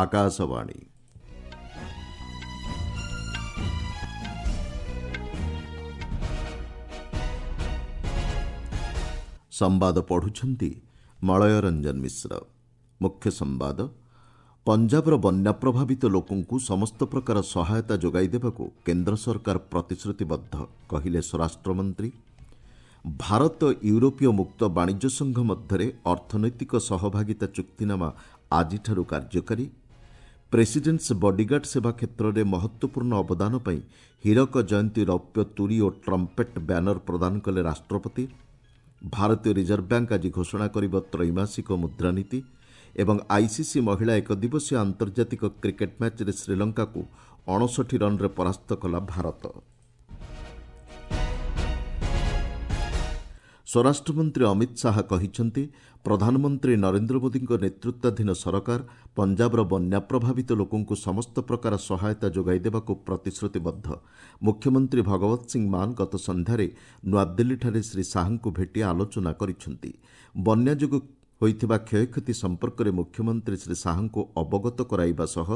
ଆକାଶବାଣୀ। ସମ୍ବାଦ ପଢ଼ୁଛନ୍ତି ମଳୟ ରଞ୍ଜନ ମିଶ୍ର। ମୁଖ୍ୟ ସମ୍ବାଦ, ପଞ୍ଜାବର ବନ୍ୟା ପ୍ରଭାବିତ ଲୋକଙ୍କୁ ସମସ୍ତ ପ୍ରକାର ସହାୟତା ଯୋଗାଇ ଦେବାକୁ କେନ୍ଦ୍ର ସରକାର ପ୍ରତିଶ୍ରୁତିବଦ୍ଧ, କହିଲେ ସ୍ୱରାଷ୍ଟ୍ରମନ୍ତ୍ରୀ। ଭାରତ ୟୁରୋପୀୟ ମୁକ୍ତ ବାଣିଜ୍ୟ ସଂଘ ମଧ୍ୟରେ ଅର୍ଥନୈତିକ ସହଭାଗିତା ଚୁକ୍ତିନାମା ଆଜିଠାରୁ କାର୍ଯ୍ୟକାରୀ। ପ୍ରେସିଡେଣ୍ଟସ୍ ବଡିଗାର୍ଡ ସେବା କ୍ଷେତ୍ରରେ ମହତ୍ତ୍ୱପୂର୍ଣ୍ଣ ଅବଦାନ ପାଇଁ ହୀରକ ଜୟନ୍ତୀ ରୌପ୍ୟ ତୁରୀ ଓ ଟ୍ରମ୍ପେଟ୍ ବ୍ୟାନର ପ୍ରଦାନ କଲେ ରାଷ୍ଟ୍ରପତି। ଭାରତୀୟ ରିଜର୍ଭ ବ୍ୟାଙ୍କ ଆଜି ଘୋଷଣା କରିବ ତ୍ରୈମାସିକ ମୁଦ୍ରାନୀତି। ଏବଂ ଆଇସିସି ମହିଳା ଏକଦିବସୀୟ ଆନ୍ତର୍ଜାତିକ କ୍ରିକେଟ୍ ମ୍ୟାଚ୍ରେ ଶ୍ରୀଲଙ୍କାକୁ 59 ରନ୍ରେ ପରାସ୍ତ କଲା ଭାରତ। ସ୍ୱରାଷ୍ଟ୍ରମନ୍ତ୍ରୀ ଅମିତ ଶାହା କହିଛନ୍ତି, ପ୍ରଧାନମନ୍ତ୍ରୀ ନରେନ୍ଦ୍ର ମୋଦିଙ୍କ ନେତୃତ୍ୱାଧୀନ ସରକାର ପଞ୍ଜାବର ବନ୍ୟା ପ୍ରଭାବିତ ଲୋକଙ୍କୁ ସମସ୍ତ ପ୍ରକାର ସହାୟତା ଯୋଗାଇ ଦେବାକୁ ପ୍ରତିଶ୍ରୁତିବଦ୍ଧ। ମୁଖ୍ୟମନ୍ତ୍ରୀ ଭଗବତ ସିଂ ମାନ ଗତ ସନ୍ଧ୍ୟାରେ ନୂଆଦିଲ୍ଲୀଠାରେ ଶ୍ରୀ ଶାହାଙ୍କୁ ଭେଟି ଆଲୋଚନା କରିଛନ୍ତି। ବନ୍ୟା ଯୋଗୁଁ ହୋଇଥିବା କ୍ଷୟକ୍ଷତି ସମ୍ପର୍କରେ ମୁଖ୍ୟମନ୍ତ୍ରୀ ଶ୍ରୀ ଶାହାଙ୍କୁ ଅବଗତ କରାଇବା ସହ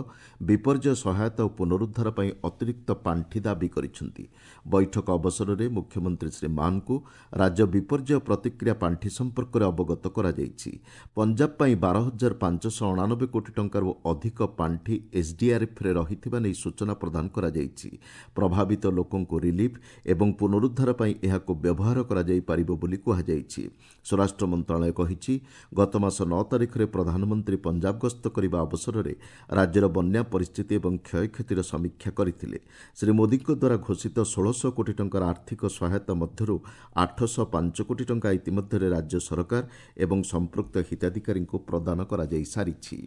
ବିପର୍ଯ୍ୟୟ ସହାୟତା ଓ ପୁନରୁଦ୍ଧାର ପାଇଁ ଅତିରିକ୍ତ ପାଣ୍ଠି ଦାବି କରିଛନ୍ତି। ବୈଠକ ଅବସରରେ ମୁଖ୍ୟମନ୍ତ୍ରୀ ଶ୍ରୀ ମାନଙ୍କୁ ରାଜ୍ୟ ବିପର୍ଯ୍ୟୟ ପ୍ରତିକ୍ରିୟା ପାଣ୍ଠି ସମ୍ପର୍କରେ ଅବଗତ କରାଯାଇଛି। ପଞ୍ଜାବ ପାଇଁ 12,589 କୋଟି ଟଙ୍କାରୁ ଅଧିକ ପାଣ୍ଠି ଏସ୍ଡିଆର୍ଏଫ୍ରେ ରହିଥିବା ନେଇ ସୂଚନା ପ୍ରଦାନ କରାଯାଇଛି। ପ୍ରଭାବିତ ଲୋକଙ୍କୁ ରିଲିଫ୍ ଏବଂ ପୁନରୁଦ୍ଧାର ପାଇଁ ଏହାକୁ ବ୍ୟବହାର କରାଯାଇପାରିବ ବୋଲି କୁହାଯାଇଛି। ସ୍ୱରାଷ୍ଟ୍ର ମନ୍ତ୍ରଣାଳୟ କହିଛି, ଗତ ମାସ 9 ତାରିଖରେ ପ୍ରଧାନମନ୍ତ୍ରୀ ପଞ୍ଜାବ ଗସ୍ତ କରିବା ଅବସରରେ ରାଜ୍ୟର ବନ୍ୟା ପରିସ୍ଥିତି ଏବଂ କ୍ଷୟକ୍ଷତିର ସମୀକ୍ଷା କରିଥିଲେ। ଶ୍ରୀ ମୋଦିଙ୍କ ଦ୍ୱାରା ଘୋଷିତ 1,600 କୋଟି ଟଙ୍କାର ଆର୍ଥିକ ସହାୟତା ମଧ୍ୟରୁ 805 କୋଟି ଟଙ୍କା ଇତିମଧ୍ୟରେ ରାଜ୍ୟ ସରକାର ଏବଂ ସମ୍ପୃକ୍ତ ହିତାଧିକାରୀଙ୍କୁ ପ୍ରଦାନ କରାଯାଇ ସାରିଛି।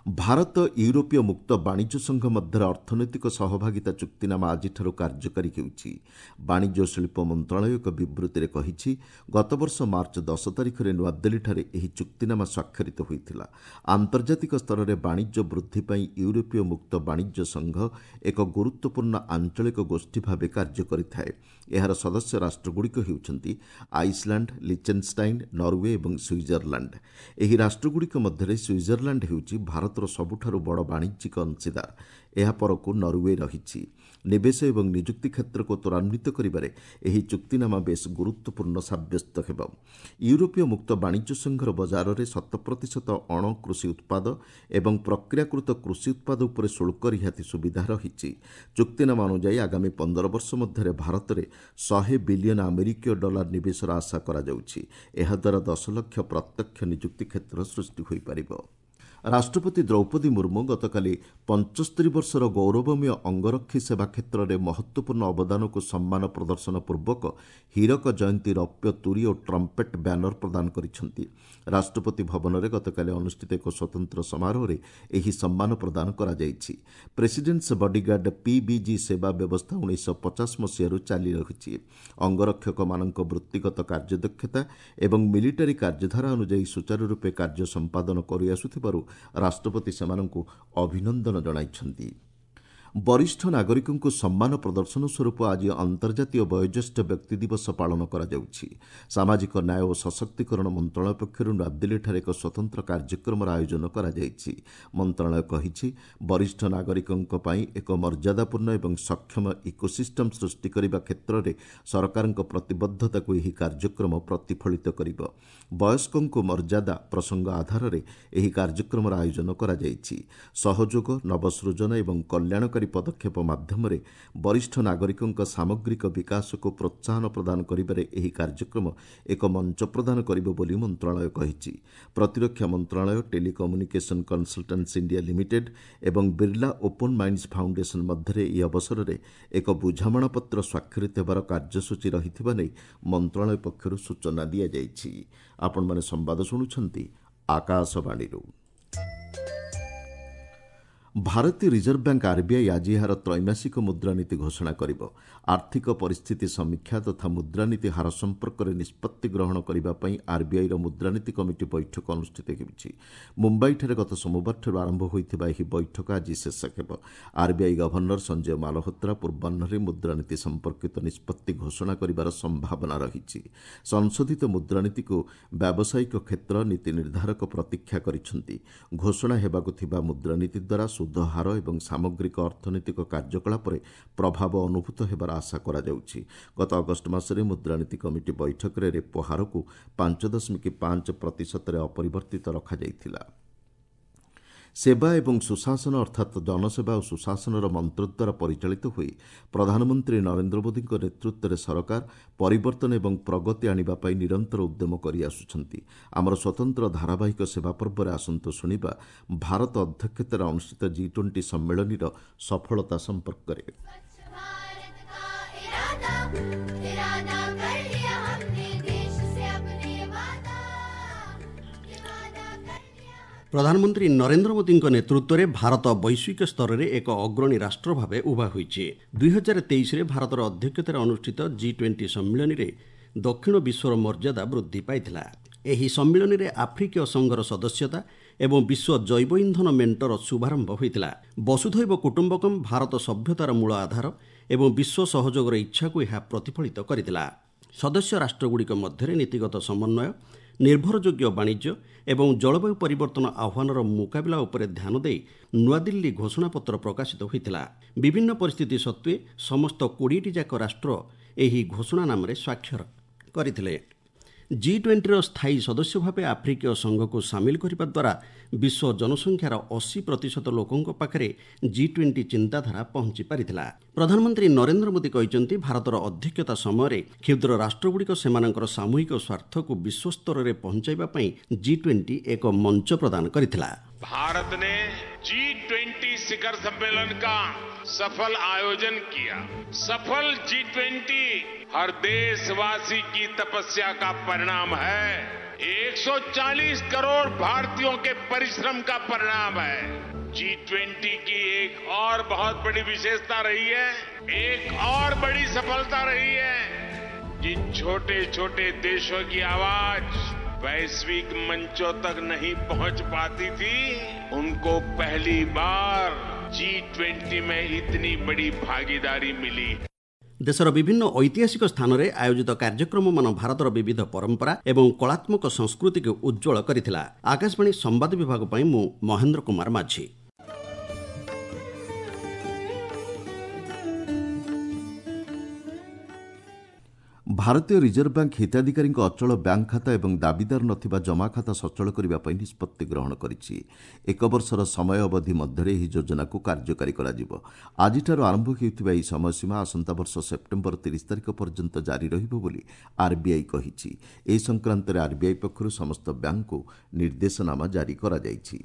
ଭାରତ ୟୁରୋପୀୟ ମୁକ୍ତ ବାଣିଜ୍ୟ ସଂଘ ମଧ୍ୟରେ ଅର୍ଥନୈତିକ ସହଭାଗିତା ଚୁକ୍ତିନାମା ଆଜିଠାରୁ କାର୍ଯ୍ୟକାରୀ ହେଉଛି। ବାଣିଜ୍ୟ ଓ ଶିଳ୍ପ ମନ୍ତ୍ରଣାଳୟ ଏକ ବିବୃତ୍ତିରେ କହିଛି, ଗତବର୍ଷ ମାର୍ଚ୍ଚ 10 ତାରିଖରେ ନୂଆଦିଲ୍ଲୀଠାରେ ଏହି ଚୁକ୍ତିନାମା ସ୍ୱାକ୍ଷରିତ ହୋଇଥିଲା। ଆନ୍ତର୍ଜାତିକ ସ୍ତରରେ ବାଣିଜ୍ୟ ବୃଦ୍ଧି ପାଇଁ ୟୁରୋପୀୟ ମୁକ୍ତ ବାଣିଜ୍ୟ ସଂଘ ଏକ ଗୁରୁତ୍ୱପୂର୍ଣ୍ଣ ଆଞ୍ଚଳିକ ଗୋଷ୍ଠୀ ଭାବେ କାର୍ଯ୍ୟ କରିଥାଏ। ଏହାର ସଦସ୍ୟ ରାଷ୍ଟ୍ରଗୁଡ଼ିକ ହେଉଛନ୍ତି ଆଇସଲାଣ୍ଡ, ଲିଚେନ୍ଷ୍ଟାଇନ୍, ନରୱେ ଏବଂ ସୁଇଜରଲ୍ୟାଣ୍ଡ। ଏହି ରାଷ୍ଟ୍ରଗୁଡ଼ିକ ମଧ୍ୟରେ ସୁଇଜରଲ୍ୟାଣ୍ଡ ହେଉଛି ଭାରତ ସବୁଠାରୁ ବଡ଼ ବାଣିଜ୍ୟିକ ଅଂଶୀଦାର। ଏହା ପରକୁ ନରୱେ ରହିଛି। ନିବେଶ ଏବଂ ନିଯୁକ୍ତି କ୍ଷେତ୍ରକୁ ତ୍ୱରାନ୍ୱିତ କରିବାରେ ଏହି ଚୁକ୍ତିନାମା ବେଶ୍ ଗୁରୁତ୍ୱପୂର୍ଣ୍ଣ ସାବ୍ୟସ୍ତ ହେବ। ୟୁରୋପୀୟ ମୁକ୍ତ ବାଣିଜ୍ୟ ସଂଘର ବଜାରରେ 100% ଅଣ କୃଷି ଉତ୍ପାଦ ଏବଂ ପ୍ରକ୍ରିୟାକୃତ କୃଷି ଉତ୍ପାଦ ଉପରେ ଶୁଳ୍କ ରିହାତି ସୁବିଧା ରହିଛି। ଚୁକ୍ତିନାମା ଅନୁଯାୟୀ ଆଗାମୀ 15 ବର୍ଷ ମଧ୍ୟରେ ଭାରତରେ 100 ବିଲିୟନ ଆମେରିକୀୟ ଡଲାର ନିବେଶର ଆଶା କରାଯାଉଛି। ଏହାଦ୍ୱାରା 10 ଲକ୍ଷ ପ୍ରତ୍ୟକ୍ଷ ନିଯୁକ୍ତି କ୍ଷେତ୍ର ସୃଷ୍ଟି ହୋଇପାରିବ। ରାଷ୍ଟ୍ରପତି ଦ୍ରୌପଦୀ ମୁର୍ମୁ ଗତକାଲି 75 ବର୍ଷର ଗୌରବମୟ ଅଙ୍ଗରକ୍ଷୀ ସେବା କ୍ଷେତ୍ରରେ ମହତ୍ତ୍ୱପୂର୍ଣ୍ଣ ଅବଦାନକୁ ସମ୍ମାନ ପ୍ରଦର୍ଶନ ପୂର୍ବକ ହୀରକ ଜୟନ୍ତୀ ରୌପ୍ୟ ତୁରୀ ଓ ଟ୍ରମ୍ପେଟ୍ ବ୍ୟାନର ପ୍ରଦାନ କରିଛନ୍ତି। ରାଷ୍ଟ୍ରପତି ଭବନରେ ଗତକାଲି ଅନୁଷ୍ଠିତ ଏକ ସ୍ୱତନ୍ତ୍ର ସମାରୋହରେ ଏହି ସମ୍ମାନ ପ୍ରଦାନ କରାଯାଇଛି। ପ୍ରେସିଡେଣ୍ଟସ୍ ବଡିଗାର୍ଡ ପିବିଜି ସେବା ବ୍ୟବସ୍ଥା 1950 ମସିହାରୁ ଚାଲି ରହିଛି। ଅଙ୍ଗରକ୍ଷକମାନଙ୍କ ବୃତ୍ତିଗତ କାର୍ଯ୍ୟଦକ୍ଷତା ଏବଂ ମିଲିଟାରୀ କାର୍ଯ୍ୟଧାରା ଅନୁଯାୟୀ ସୁଚାରୁ ରୂପେ କାର୍ଯ୍ୟ ସମ୍ପାଦନ କରିଆସୁଥିବାରୁ ରାଷ୍ଟ୍ରପତି ସେମାନଙ୍କୁ ଅଭିନନ୍ଦନ ଜଣାଇଛନ୍ତି। ବରିଷ୍ଠ ନାଗରିକଙ୍କୁ ସମ୍ମାନ ପ୍ରଦର୍ଶନ ସ୍ୱରୂପ ଆଜି ଅନ୍ତର୍ଜାତୀୟ ବୟୋଜ୍ୟେଷ୍ଠ ବ୍ୟକ୍ତି ଦିବସ ପାଳନ କରାଯାଉଛି। ସାମାଜିକ ନ୍ୟାୟ ଓ ସଶକ୍ତିକରଣ ମନ୍ତ୍ରଣାଳୟ ପକ୍ଷରୁ ନୂଆଦିଲ୍ଲୀଠାରେ ଏକ ସ୍ୱତନ୍ତ୍ର କାର୍ଯ୍ୟକ୍ରମର ଆୟୋଜନ କରାଯାଇଛି। ମନ୍ତ୍ରଣାଳୟ କହିଛି, ବରିଷ୍ଠ ନାଗରିକଙ୍କ ପାଇଁ ଏକ ମର୍ଯ୍ୟାଦାପୂର୍ଣ୍ଣ ଏବଂ ସକ୍ଷମ ଇକୋସିଷ୍ଟମ୍ ସୃଷ୍ଟି କରିବା କ୍ଷେତ୍ରରେ ସରକାରଙ୍କ ପ୍ରତିବଦ୍ଧତାକୁ ଏହି କାର୍ଯ୍ୟକ୍ରମ ପ୍ରତିଫଳିତ କରିବ। ବୟସ୍କଙ୍କୁ ମର୍ଯ୍ୟାଦା ପ୍ରସଙ୍ଗ ଆଧାରରେ ଏହି କାର୍ଯ୍ୟକ୍ରମର ଆୟୋଜନ କରାଯାଇଛି। ସହଯୋଗ, ନବସୃଜନ ଏବଂ କଲ୍ୟାଣକାରୀ ପଦକ୍ଷେପ ମାଧ୍ୟମରେ ବରିଷ୍ଠ ନାଗରିକଙ୍କ ସାମଗ୍ରିକ ବିକାଶକୁ ପ୍ରୋତ୍ସାହନ ପ୍ରଦାନ କରିବାରେ ଏହି କାର୍ଯ୍ୟକ୍ରମ ଏକ ମଞ୍ଚ ପ୍ରଦାନ କରିବ ବୋଲି ମନ୍ତ୍ରଣାଳୟ କହିଛି। ପ୍ରତିରକ୍ଷା ମନ୍ତ୍ରଣାଳୟ, ଟେଲିକମ୍ୟୁନିକେସନ୍ କନସଲଟାନ୍ସି ଇଣ୍ଡିଆ ଲିମିଟେଡ୍ ଏବଂ ବିର୍ଲା ଓପନ୍ ମାଇଣ୍ଡସ୍ ଫାଉଣ୍ଡେସନ୍ ମଧ୍ୟରେ ଏହି ଅବସରରେ ଏକ ବୁଝାମଣାପତ୍ର ସ୍ୱାକ୍ଷରିତ ହେବାର କାର୍ଯ୍ୟସୂଚୀ ରହିଥିବା ନେଇ ମନ୍ତ୍ରଣାଳୟ ପକ୍ଷରୁ ସୂଚନା ଦିଆଯାଇଛି। ଆପଣମାନେ ସମ୍ବାଦ ଶୁଣୁଛନ୍ତି ଆକାଶବାଣୀରୁ। ଭାରତୀୟ ରିଜର୍ଭ ବ୍ୟାଙ୍କ ଆର୍ବିଆଇ ଆଜି ଏହାର ତ୍ରୈମାସିକ ମୁଦ୍ରାନୀତି ଘୋଷଣା କରିବ। ଆର୍ଥିକ ପରିସ୍ଥିତି ସମୀକ୍ଷା ତଥା ମୁଦ୍ରାନୀତି ହାର ସମ୍ପର୍କରେ ନିଷ୍ପତ୍ତି ଗ୍ରହଣ କରିବା ପାଇଁ ଆର୍ବିଆଇର ମୁଦ୍ରାନୀତି କମିଟି ବୈଠକ ଅନୁଷ୍ଠିତ ହେଉଛି। ମୁମ୍ବାଇଠାରେ ଗତ ସୋମବାରଠାରୁ ଆରମ୍ଭ ହୋଇଥିବା ଏହି ବୈଠକ ଆଜି ଶେଷ ହେବ। ଆର୍ବିଆଇ ଗଭର୍ଣ୍ଣର ସଞ୍ଜୟ ମାଲହୋତ୍ରା ପୂର୍ବାହ୍ନରେ ମୁଦ୍ରାନୀତି ସମ୍ପର୍କିତ ନିଷ୍ପତ୍ତି ଘୋଷଣା କରିବାର ସମ୍ଭାବନା ରହିଛି। ସଂଶୋଧିତ ମୁଦ୍ରାନୀତିକୁ ବ୍ୟାବସାୟିକ କ୍ଷେତ୍ର ନୀତି ନିର୍ଦ୍ଧାରକ ପ୍ରତୀକ୍ଷା କରିଛନ୍ତି। ଘୋଷଣା ହେବାକୁ ଥିବା ମୁଦ୍ରାନୀତି ଦ୍ୱାରା ସୁଧ ହାର ଏବଂ ସାମଗ୍ରିକ ଅର୍ଥନୈତିକ କାର୍ଯ୍ୟକଳାପରେ ପ୍ରଭାବ ଅନୁଭୂତ ହେବାର ଆଶା କରାଯାଉଛି। ଗତ ଅଗଷ୍ଟ ମାସରେ ମୁଦ୍ରାନୀତି କମିଟି ବୈଠକରେ ରେପୋ ହାରକୁ 5.5 ପ୍ରତିଶତରେ ଅପରିବର୍ତ୍ତିତ ରଖାଯାଇଥିଲା। ସେବା ଏବଂ ସୁଶାସନ, ଅର୍ଥାତ୍ ଜନସେବା ଓ ସୁଶାସନର ମନ୍ତ୍ର ଦ୍ୱାରା ପରିଚାଳିତ ହୋଇ ପ୍ରଧାନମନ୍ତ୍ରୀ ନରେନ୍ଦ୍ର ମୋଦିଙ୍କ ନେତୃତ୍ୱରେ ସରକାର ପରିବର୍ତ୍ତନ ଏବଂ ପ୍ରଗତି ଆଣିବା ପାଇଁ ନିରନ୍ତର ଉଦ୍ୟମ କରିଆସୁଛନ୍ତି। ଆମର ସ୍ୱତନ୍ତ୍ର ଧାରାବାହିକ ସେବା ପର୍ବରେ ଆସନ୍ତୁ ଶୁଣିବା ଭାରତ ଅଧ୍ୟକ୍ଷତାରେ ଅନୁଷ୍ଠିତ ଜି-20 ସମ୍ମିଳନୀର ସଫଳତା ସମ୍ପର୍କରେ। स्वच्छ भारत का इरादा, इरादा कर लिया हमने देश से अपने वादा, ये वादा कर लिया। ପ୍ରଧାନମନ୍ତ୍ରୀ ନରେନ୍ଦ୍ର ମୋଦିଙ୍କ ନେତୃତ୍ୱରେ ଭାରତ ବୈଶ୍ୱିକ ସ୍ତରରେ ଏକ ଅଗ୍ରଣୀ ରାଷ୍ଟ୍ର ଭାବେ ଉଭା ହୋଇଛି। 2023ରେ ଭାରତର ଅଧ୍ୟକ୍ଷତାରେ ଅନୁଷ୍ଠିତ ଜି-20 ସମ୍ମିଳନୀରେ ଦକ୍ଷିଣ ବିଶ୍ୱର ମର୍ଯ୍ୟାଦା ବୃଦ୍ଧି ପାଇଥିଲା। ଏହି ସମ୍ମିଳନୀରେ ଆଫ୍ରିକୀୟ ସଂଘର ସଦସ୍ୟତା ଏବଂ ବିଶ୍ୱ ଜୈବ ଇନ୍ଧନ ମେଣ୍ଟର ଶୁଭାରମ୍ଭ ହୋଇଥିଲା। ବସୁଧୈବ କୁଟୁମ୍ବକମ୍ ଭାରତ ସଭ୍ୟତାର ମୂଳ ଆଧାର ଏବଂ ବିଶ୍ୱ ସହଯୋଗର ଇଚ୍ଛାକୁ ଏହା ପ୍ରତିଫଳିତ କରିଥିଲା। ସଦସ୍ୟ ରାଷ୍ଟ୍ରଗୁଡ଼ିକ ମଧ୍ୟରେ ନୀତିଗତ ସମନ୍ୱୟ, ନିର୍ଭରଯୋଗ୍ୟ ବାଣିଜ୍ୟ ଏବଂ ଜଳବାୟୁ ପରିବର୍ତ୍ତନ ଆହ୍ୱାନର ମୁକାବିଲା ଉପରେ ଧ୍ୟାନ ଦେଇ ନୂଆଦିଲ୍ଲୀ ଘୋଷଣାପତ୍ର ପ୍ରକାଶିତ ହୋଇଥିଲା। ବିଭିନ୍ନ ପରିସ୍ଥିତି ସତ୍ତ୍ୱେ ସମସ୍ତ 20ଟି ଯାକ ରାଷ୍ଟ୍ର ଏହି ଘୋଷଣାନାମାରେ ସ୍ୱାକ୍ଷର କରିଥିଲେ। ଜି-20ର ସ୍ଥାୟୀ ସଦସ୍ୟ ଭାବେ ଆଫ୍ରିକୀୟ ସଂଘକୁ ସାମିଲ କରିବା ଦ୍ୱାରା ବିଶ୍ୱ ଜନସଂଖ୍ୟାର 80% ଲୋକଙ୍କ ପାଖରେ ଜି-20 ଚିନ୍ତାଧାରା ପହଞ୍ଚି ପାରିଥିଲା। ପ୍ରଧାନମନ୍ତ୍ରୀ ନରେନ୍ଦ୍ର ମୋଦି କହିଛନ୍ତି, ଭାରତର ଅଧ୍ୟକ୍ଷତା ସମୟରେ କ୍ଷୁଦ୍ର ରାଷ୍ଟ୍ରଗୁଡ଼ିକ ସେମାନଙ୍କର ସାମୂହିକ ସ୍ୱାର୍ଥକୁ ବିଶ୍ୱସ୍ତରରେ ପହଞ୍ଚାଇବା ପାଇଁ ଜି-20 ଏକ ମଞ୍ଚ ପ୍ରଦାନ କରିଥିଲା। भारत ने जी-20 शिखर सम्मेलन का सफल आयोजन किया। सफल जी-20 हर देशवासी की तपस्या का परिणाम है, 140 करोड़ भारतीयों के परिश्रम का परिणाम है। जी-20 की एक और बहुत बड़ी विशेषता रही है, एक और बड़ी सफलता रही है। जिन छोटे छोटे देशों की आवाज वैश्विक मंचों तक नहीं पहुंच पाती थी, उनको पहली बार जी-20 में इतनी बड़ी भागीदारी मिली। ଦେଶର ବିଭିନ୍ନ ଐତିହାସିକ ସ୍ଥାନରେ ଆୟୋଜିତ କାର୍ଯ୍ୟକ୍ରମମାନ ଭାରତର ବିବିଧ ପରମ୍ପରା ଏବଂ କଳାତ୍ମକ ସଂସ୍କୃତିକୁ ଉଜ୍ଜ୍ୱଳ କରିଥିଲା। ଆକାଶବାଣୀ ସମ୍ବାଦ ବିଭାଗ ପାଇଁ ମୁଁ ମହେନ୍ଦ୍ର କୁମାର ମାଝୀ। ଭାରତୀୟ ରିଜର୍ଭ ବ୍ୟାଙ୍କ ହିତାଧିକାରୀଙ୍କ ଅଚଳ ବ୍ୟାଙ୍କ ଖାତା ଏବଂ ଦାବିଦାର ନଥିବା ଜମାଖାତା ସଚଳ କରିବା ପାଇଁ ନିଷ୍ପତ୍ତି ଗ୍ରହଣ କରିଛି। ଏକ ବର୍ଷର ସମୟ ଅବଧି ମଧ୍ୟରେ ଏହି ଯୋଜନାକୁ କାର୍ଯ୍ୟକାରୀ କରାଯିବ। ଆଜିଠାରୁ ଆରମ୍ଭ ହେଉଥିବା ଏହି ସମୟସୀମା ଆସନ୍ତା ବର୍ଷ ସେପ୍ଟେମ୍ବର 30 ତାରିଖ ପର୍ଯ୍ୟନ୍ତ ଜାରି ରହିବ ବୋଲି ଆର୍ବିଆଇ କହିଛି। ଏ ସଂକ୍ରାନ୍ତରେ ଆର୍ବିଆଇ ପକ୍ଷରୁ ସମସ୍ତ ବ୍ୟାଙ୍କକୁ ନିର୍ଦ୍ଦେଶନାମା ଜାରି କରାଯାଇଛି।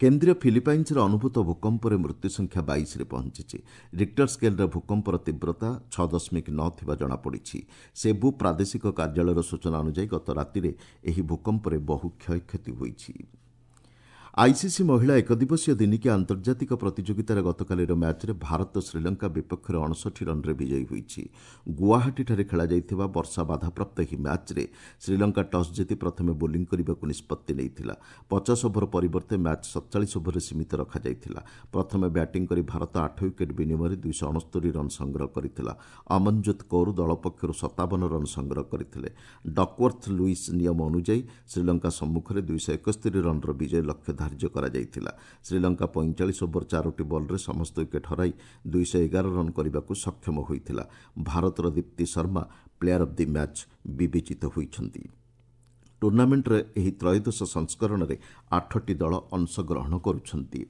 କେନ୍ଦ୍ରୀୟ ଫିଲିପାଇନ୍ସରେ ଅନୁଭୂତ ଭୂକମ୍ପରେ ମୃତ୍ୟୁ ସଂଖ୍ୟା 22ରେ ପହଞ୍ଚିଛି। ରିକ୍ଟର ସ୍କେଲ୍ରେ ଭୂକମ୍ପର ତୀବ୍ରତା 6.9 ଥିବା ଜଣାପଡ଼ିଛି। ସେବୁ ପ୍ରାଦେଶିକ କାର୍ଯ୍ୟାଳୟର ସୂଚନା ଅନୁଯାୟୀ, ଗତ ରାତିରେ ଏହି ଭୂକମ୍ପରେ ବହୁ କ୍ଷୟକ୍ଷତି ହୋଇଛି। ଆଇସିସି ମହିଳା ଏକଦିବସୀୟ ଦିନିକିଆ ଆନ୍ତର୍ଜାତିକ ପ୍ରତିଯୋଗିତାର ଗତକାଲିର ମ୍ୟାଚ୍ରେ ଭାରତ ଶ୍ରୀଲଙ୍କା ବିପକ୍ଷରେ 59 ରନ୍ରେ ବିଜୟୀ ହୋଇଛି। ଗୁଆହାଟୀଠାରେ ଖେଳାଯାଇଥିବା ବର୍ଷା ବାଧାପ୍ରାପ୍ତ ଏହି ମ୍ୟାଚ୍ରେ ଶ୍ରୀଲଙ୍କା ଟସ୍ ଜିତି ପ୍ରଥମେ ବୋଲିଂ କରିବାକୁ ନିଷ୍ପତ୍ତି ନେଇଥିଲା। 50 ଓଭର ପରିବର୍ତ୍ତେ ମ୍ୟାଚ୍ 47 ଓଭରରେ ସୀମିତ ରଖାଯାଇଥିଲା। ପ୍ରଥମେ ବ୍ୟାଟିଂ କରି ଭାରତ 8 ୱିକେଟ୍ ବିନିମୟରେ 269 ରନ୍ ସଂଗ୍ରହ କରିଥିଲା। ଅମନଜୋତ କୌର ଦଳ ପକ୍ଷରୁ 57 ରନ୍ ସଂଗ୍ରହ କରିଥିଲେ। ଡକୱର୍ଥ ଲୁଇସ୍ ନିୟମ ଅନୁଯାୟୀ ଶ୍ରୀଲଙ୍କା ସମ୍ମୁଖରେ 271 ରନ୍ର ବିଜୟ ଲକ୍ଷ୍ୟ ଧାର୍ଯ୍ୟ କରାଯାଇଥିଲା। ଶ୍ରୀଲଙ୍କା 45 ଓଭର ଚାରୋଟି ବଲ୍ରେ ସମସ୍ତ ୱିକେଟ୍ ହରାଇ 211 ରନ୍ କରିବାକୁ ସକ୍ଷମ ହୋଇଥିଲା। ଭାରତର Deepti Sharma player of the match ବିବେଚିତ ହୋଇଛନ୍ତି। ଟୁର୍ଣ୍ଣାମେଣ୍ଟର ଏହି ତ୍ରୟୋଦଶ ସଂସ୍କରଣରେ ଆଠଟି ଦଳ ଅଂଶଗ୍ରହଣ କରୁଛନ୍ତି।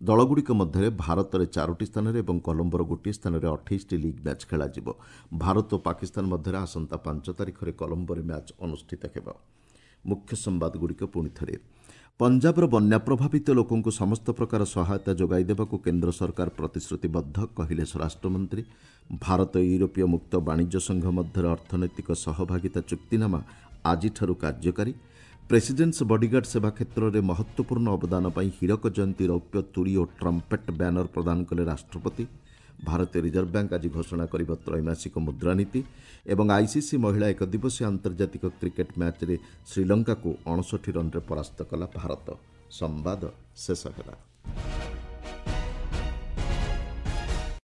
ଦଳଗୁଡ଼ିକ ମଧ୍ୟରେ ଭାରତରେ ଚାରୋଟି ସ୍ଥାନରେ ଏବଂ କଲମ୍ବୋର ଗୋଟିଏ ସ୍ଥାନରେ 28ଟି ଲିଗ୍ ମ୍ୟାଚ୍ ଖେଳାଯିବ। ଭାରତ ଓ ପାକିସ୍ତାନ ମଧ୍ୟରେ ଆସନ୍ତା 5 ତାରିଖରେ କଲମ୍ବୋରେ ମ୍ୟାଚ୍ ଅନୁଷ୍ଠିତ ହେବ। ମୁଖ୍ୟ ସମ୍ବାଦଗୁଡ଼ିକ ପୁଣି ଥରେ। ପଞ୍ଜାବର ବନ୍ୟା ପ୍ରଭାବିତ ଲୋକଙ୍କୁ ସମସ୍ତ ପ୍ରକାର ସହାୟତା ଯୋଗାଇ ଦେବାକୁ କେନ୍ଦ୍ର ସରକାର ପ୍ରତିଶ୍ରୁତିବଦ୍ଧ, କହିଲେ ସ୍ୱରାଷ୍ଟ୍ରମନ୍ତ୍ରୀ। ଭାରତ ୟୁରୋପୀୟ ମୁକ୍ତ ବାଣିଜ୍ୟ ସଂଘ ମଧ୍ୟରେ ଅର୍ଥନୈତିକ ସହଭାଗିତା ଚୁକ୍ତିନାମା ଆଜିଠାରୁ କାର୍ଯ୍ୟକାରୀ। ପ୍ରେସିଡେଣ୍ଟସ୍ ବଡିଗାର୍ଡ ସେବା କ୍ଷେତ୍ରରେ ମହତ୍ତ୍ୱପୂର୍ଣ୍ଣ ଅବଦାନ ପାଇଁ ହୀରକ ଜୟନ୍ତୀ ରୌପ୍ୟ ତୁରୀ ଓ ଟ୍ରମ୍ପେଟ୍ ବ୍ୟାନର ପ୍ରଦାନ କଲେ ରାଷ୍ଟ୍ରପତି। ଭାରତୀୟ ରିଜର୍ଭ ବ୍ୟାଙ୍କ ଆଜି ଘୋଷଣା କରିବ ତ୍ରୈମାସିକ ମୁଦ୍ରାନୀତି। ଏବଂ ଆଇସିସି ମହିଳା ଏକଦିବସୀୟ ଆନ୍ତର୍ଜାତିକ କ୍ରିକେଟ୍ ମ୍ୟାଚ୍ରେ ଶ୍ରୀଲଙ୍କାକୁ 59 ରନ୍ରେ ପରାସ୍ତ କଲା ଭାରତ। ସମ୍ବାଦ ଶେଷ ହେଲା।